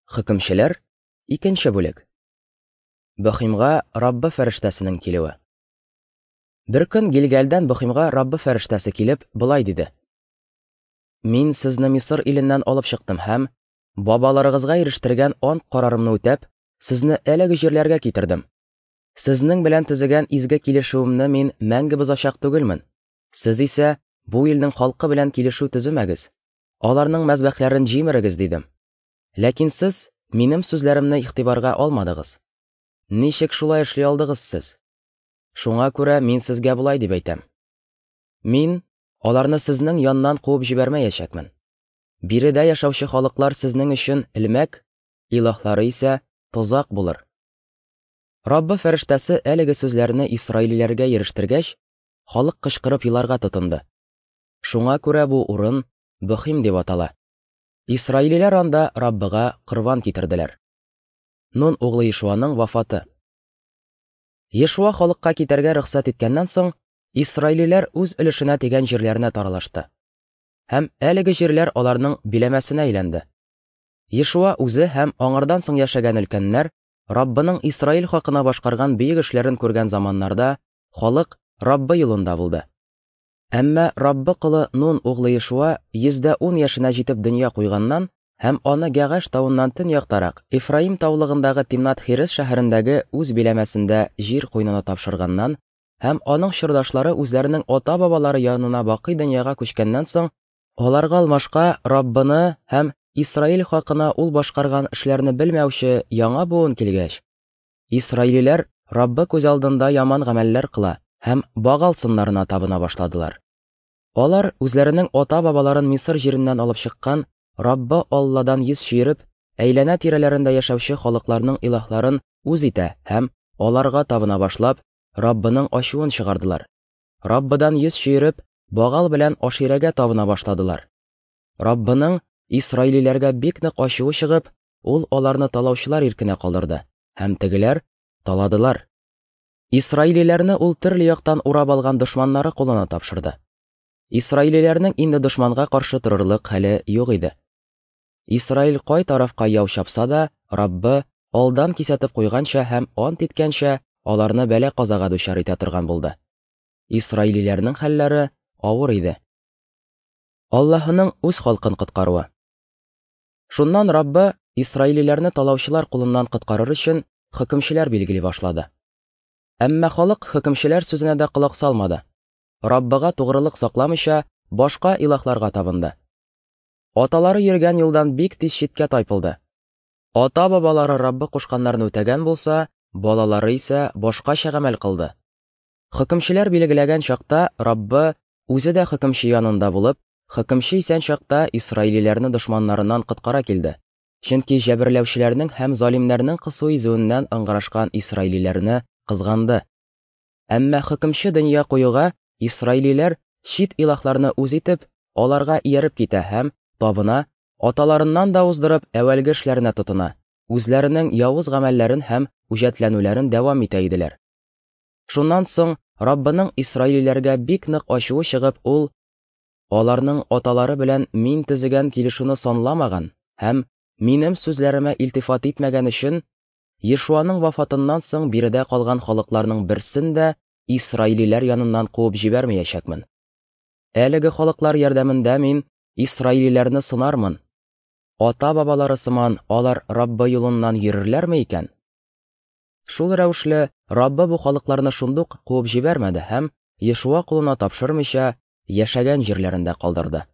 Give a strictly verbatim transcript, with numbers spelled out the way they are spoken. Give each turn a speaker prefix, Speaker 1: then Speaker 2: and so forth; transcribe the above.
Speaker 1: Хөкемчеләр, икенче бүлек. Бөхимгә Раббы фәрештәсенең килүе. Бер көн Гилгалдән Бөхимгә Раббы фәрештәсе килеп, болай диде: Мин сезне Мисыр иленнән алып чыктым һәм бабаларыгызга ирештергән ант карарымны үтәп, сезне әлеге җирләргә китердем. Сезнең белән төзегән изге килешүемне мин мәңге бозачак түгелмен. Сез исә бу илнең халкы белән килешү төземәгез. Аларның мәзбәхләрен җимерегез, дидем. Ләкин сез минем сүзләремне игътибарга алмадыгыз. Ничек шулай эшли алдыгыз сез? Шуңа күрә мин сезгә болай дип әйтәм: Мин аларны сезнең яннан куып җибәрмәячәкмен. Биредә яшәүче халыклар сезнең өчен элмәк, илаһлары исә тозак булыр. Раббы фәрештәсе әлеге сүзләрне исраилиләргә ирештергәч, халык кычкырып еларга тотынды. Шуңа күрә бу урын Бөхим дип атала. Исраилиләр анда Раббыга корбан китерделәр. Нун углы Ешуаның вафаты. Ешуа халыкка китәргә рөхсәт иткәннән соң, исраилиләр үз өлешенә тигән җирләренә таралышты. Һәм әлеге җирләр аларның биләмәсенә әйләнде. Ешуа үзе һәм аңардан соң яшәгән өлкәннәр Раббының Исраил халкына башкарган бөек эшләрен күргән заманнарда халык Раббы юлында булды. Әмма Раббы колы Нун углы Ешуа йөз дә ун яшенә җитеп дөнья куйганнан һәм аны Гәгаш тавыннан төньяктарак Ефраим таулыгындагы Тимнат-Хирес шәһәрендәге үз биләмәсендә җир куенына тапшырганнан һәм аның чордашлары үзләренең ата-бабалары янына бакый дөньяга күчкәннән соң, аларга алмашка Раббыны һәм Исраил халкына ул башкарган эшләрне белмәүче яңа буын килгәч, исраилиләр Раббы күз алдында яман гамәлләр кыла һәм Багал сыннарына табына башладылар. Алар үзләренең ата-бабаларын Мисыр җиреннән алып чыккан Раббы Алладан йөз чөереп, әйләнә тирәләрендә яшәүче халыкларның илаһларын үз итә һәм аларга табына башлап, Раббының ачуын чыгардылар. Раббыдан йөз чөереп, Багал белән Аширәгә табына башладылар. Раббының исраилиләргә бик нык ачуы чыгып, ул аларны талаучылар иркенә калдырды, һәм тегеләр таладылар. Исраилиләрне ул төрле яктан урап алган дошманнары кулына тапшырды. Исраилиләрнең инде дошманга каршы торырлык хәле юк иде. Исраил кай тарафка яу чапса да, Раббы алдан кисәтеп куйганча һәм ант иткәнчә аларны бәла-казага дучар итә торган булды. Исраилиләрнең хәлләре авыр иде. Аллаһының үз халкын коткаруы. Шуннан Раббы исраилиләрне талаучылар кулыннан коткарыр өчен хөкемчеләр билгели башлады. Әмма халык хөкемчеләр сүзенә дә колак салмады. Раббыга тугрылык сакламыйча, башка илаһларга табынды. Аталары йөргән юлдан бик тиз читкә тайпылды. Ата-бабалары Раббы кушканнарны үтәгән булса, балалары исә башкача гамәл кылды. Хөкемчеләр билгеләгән чакта Раббы үзе дә хөкемче янында булып, хөкемче исән чакта исраилиләрне дошманнарыннан коткара килде. Чөнки җәберләүчеләрнең һәм залимнәрнең кысу изүеннән ыңгырашкан исраилиләрне кызганды. Әмма хөкемче дөнья куюга исраилиләр чит илаһларны үз итеп, аларга ияреп китә һәм табына, аталарыннан да уздырып әүвәлге эшләренә тотына, үзләренең явыз гамәлләрен һәм үҗәтләнүләрен дәвам итә иделәр. Шуннан соң Раббының исраилиләргә бик нык ачуы чыгып, ул аларның аталары белән мин төзегән килешүне санламаган һәм минем сүзләремә илтифат итмәгән өчен Ешуаның вафатыннан соң биредә калган халыкларның берсен дә исраилиләр яныннан куып җибәрмәячәкмен. Әлеге халыклар ярдәмендә мин исраилиләрне сынармын. Ата-бабалары сыман алар Раббы юлыннан йөрерләрме икән? Шул рәвешле Раббы бу халыкларны шундук куып җибәрмәде һәм Ешуа кулына тапшырмыйча яшәгән җирләрендә калдырды.